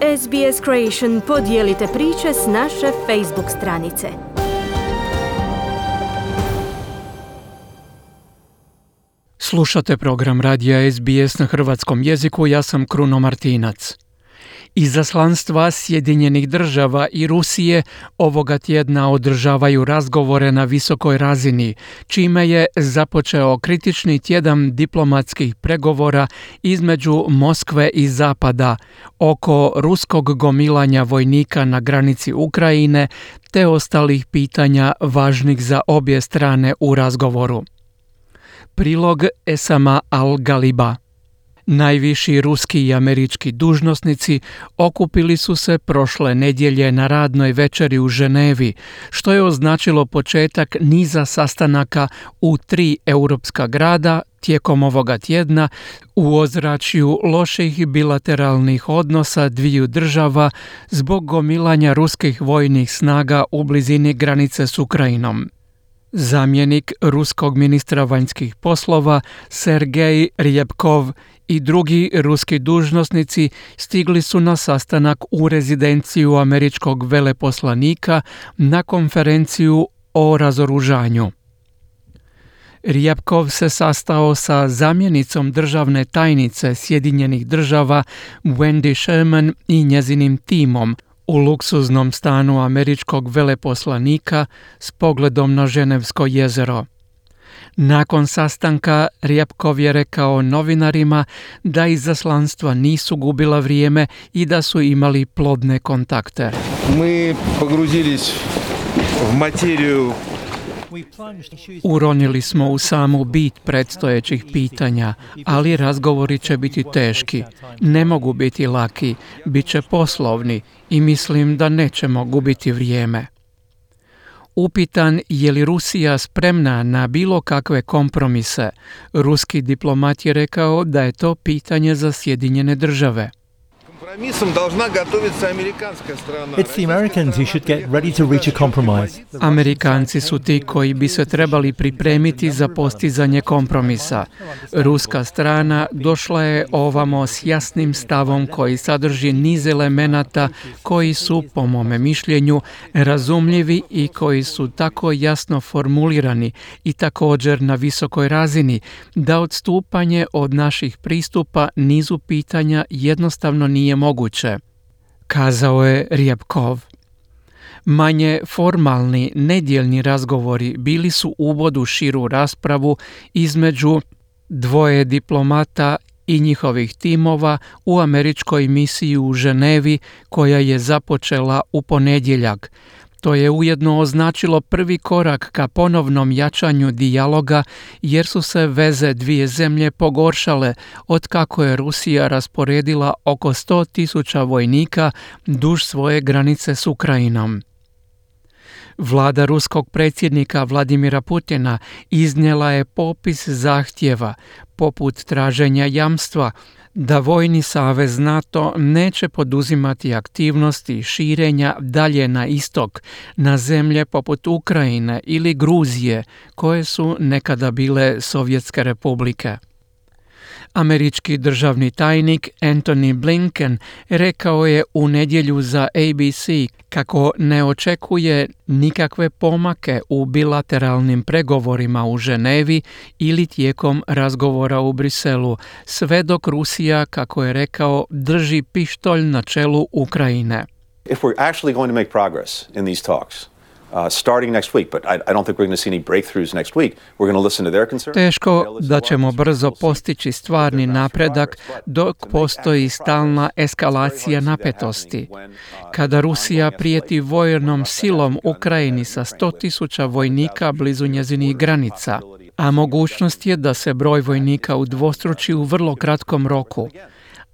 SBS Creation podijelite priče s naše Facebook stranice. Slušate program radija SBS na hrvatskom jeziku, ja sam Kruno Martinac. Izaslanstva Sjedinjenih država i Rusije ovoga tjedna održavaju razgovore na visokoj razini, čime je započeo kritični tjedan diplomatskih pregovora između Moskve i Zapada oko ruskog gomilanja vojnika na granici Ukrajine te ostalih pitanja važnih za obje strane u razgovoru. Prilog Esama Al-Galiba. Najviši ruski i američki dužnosnici okupili su se prošle nedjelje na radnoj večeri u Ženevi, što je označilo početak niza sastanaka u 3 europska grada tijekom ovoga tjedna u ozračju loših bilateralnih odnosa dviju država zbog gomilanja ruskih vojnih snaga u blizini granice s Ukrajinom. Zamjenik ruskog ministra vanjskih poslova Sergej Ryabkov i drugi ruski dužnosnici stigli su na sastanak u rezidenciju američkog veleposlanika na konferenciju o razoružanju. Ryabkov se sastao sa zamjenicom državne tajnice Sjedinjenih država Wendy Sherman i njezinim timom u luksuznom stanu američkog veleposlanika s pogledom na Ženevsko jezero. Nakon sastanka Ryabkov je rekao novinarima da izaslanstva nisu gubila vrijeme i da su imali plodne kontakte. Mi pogruzilis v materiju. Uronili smo u samu bit predstojećih pitanja, ali razgovori će biti teški. Ne mogu biti laki, bit će poslovni i mislim da nećemo gubiti vrijeme. Upitan je li Rusija spremna na bilo kakve kompromise, ruski diplomat je rekao da je to pitanje za Sjedinjene države. It's the Americans who should get ready to reach a compromise. Amerikanci su ti koji bi se trebali pripremiti za postizanje kompromisa. Ruska strana došla je ovamo s jasnim stavom koji sadrži niz elemenata koji su, po mome mišljenju, razumljivi i koji su tako jasno formulirani i također na visokoj razini da odstupanje od naših pristupa nizu pitanja jednostavno nije moguće, kazao je Ryabkov. Manje formalni, nedjeljni razgovori bili su uvod u širu raspravu između dvoje diplomata i njihovih timova u američkoj misiji u Ženevi koja je započela u ponedjeljak. To je ujedno označilo prvi korak ka ponovnom jačanju dijaloga jer su se veze dvije zemlje pogoršale otkako je Rusija rasporedila oko 100.000 vojnika duž svoje granice s Ukrajinom. Vlada ruskog predsjednika Vladimira Putina iznijela je popis zahtjeva, poput traženja jamstva da vojni savez NATO neće poduzimati aktivnosti širenja dalje na istok, na zemlje poput Ukrajine ili Gruzije, koje su nekada bile Sovjetske republike. Američki državni tajnik Antony Blinken rekao je u nedjelju za ABC kako ne očekuje nikakve pomake u bilateralnim pregovorima u Ženevi ili tijekom razgovora u Briselu, sve dok Rusija, kako je rekao, drži pištolj na čelu Ukrajine. If we're actually going to make progress in these talks, starting next week, but I don't think we're going to see any breakthroughs next week. We're going to listen to their concerns. Teško da ćemo brzo postići stvarni napredak dok postoji stalna eskalacija napetosti. Kada Rusija prijeti vojnom silom Ukrajini sa 100.000 vojnika blizu njezinih granica, a mogućnost je da se broj vojnika udvostruči u vrlo kratkom roku.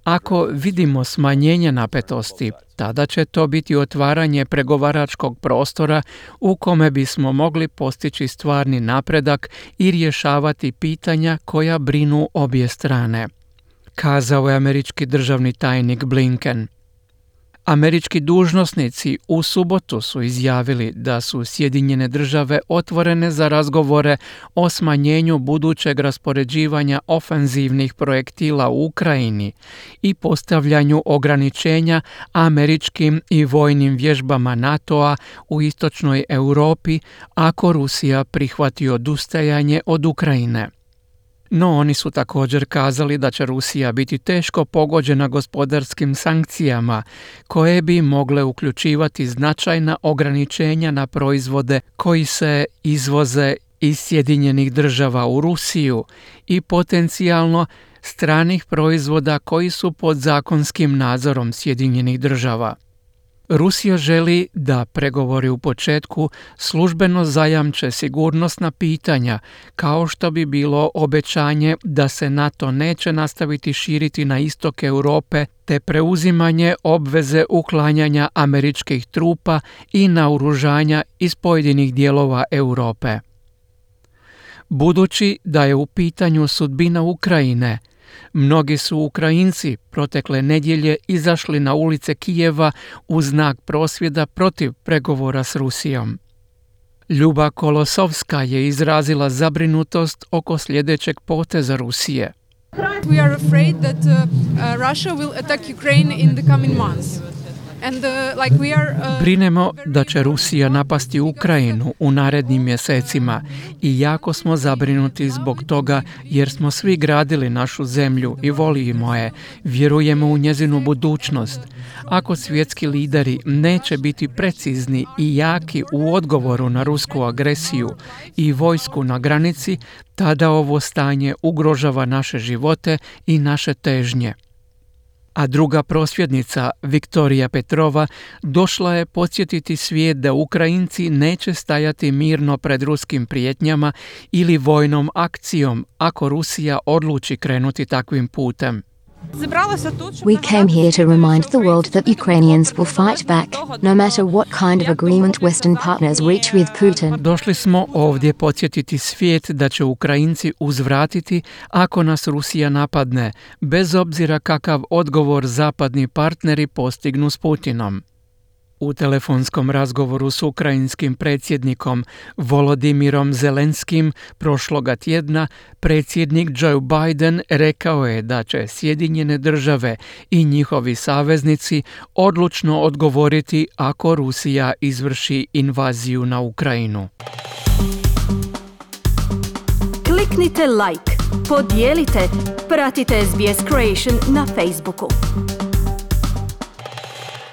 Ako vidimo smanjenje napetosti, tada će to biti otvaranje pregovaračkog prostora u kome bismo mogli postići stvarni napredak i rješavati pitanja koja brinu obje strane, kazao je američki državni tajnik Blinken. Američki dužnosnici u subotu su izjavili da su Sjedinjene države otvorene za razgovore o smanjenju budućeg raspoređivanja ofenzivnih projektila u Ukrajini i postavljanju ograničenja američkim i vojnim vježbama NATO-a u istočnoj Europi ako Rusija prihvati odustajanje od Ukrajine. No oni su također kazali da će Rusija biti teško pogođena gospodarskim sankcijama koje bi mogle uključivati značajna ograničenja na proizvode koji se izvoze iz Sjedinjenih država u Rusiju i potencijalno stranih proizvoda koji su pod zakonskim nadzorom Sjedinjenih država. Rusija želi da pregovori u početku službeno zajamče sigurnosna pitanja, kao što bi bilo obećanje da se NATO neće nastaviti širiti na istok Europe te preuzimanje obveze uklanjanja američkih trupa i naoružanja iz pojedinih dijelova Europe. Budući da je u pitanju sudbina Ukrajine, mnogi su Ukrajinci protekle nedjelje izašli na ulice Kijeva u znak prosvjeda protiv pregovora s Rusijom. Ljuba Kolosovska je izrazila zabrinutost oko sljedećeg poteza Rusije. We are afraid that Russia will attack Ukraine in the coming months. Brinemo da će Rusija napasti Ukrajinu u narednim mjesecima i jako smo zabrinuti zbog toga jer smo svi gradili našu zemlju i volimo je, vjerujemo u njezinu budućnost. Ako svjetski lideri neće biti precizni i jaki u odgovoru na rusku agresiju i vojsku na granici, tada ovo stanje ugrožava naše živote i naše težnje. A druga prosvjednica, Viktorija Petrova, došla je podsjetiti svijet da Ukrajinci neće stajati mirno pred ruskim prijetnjama ili vojnom akcijom ako Rusija odluči krenuti takvim putem. We came here to remind the world that Ukrainians will fight back, no matter what kind of agreement Western partners reach with Putin. Došli smo ovdje podsjetiti svijet da će Ukrajinci uzvratiti ako nas Rusija napadne, bez obzira kakav odgovor zapadni partneri postignu s Putinom. U telefonskom razgovoru s ukrajinskim predsjednikom Volodimirom Zelenskim prošloga tjedna predsjednik Joe Biden rekao je da će Sjedinjene države i njihovi saveznici odlučno odgovoriti ako Rusija izvrši invaziju na Ukrajinu. Kliknite like, podijelite, pratite SBS Creation na Facebooku.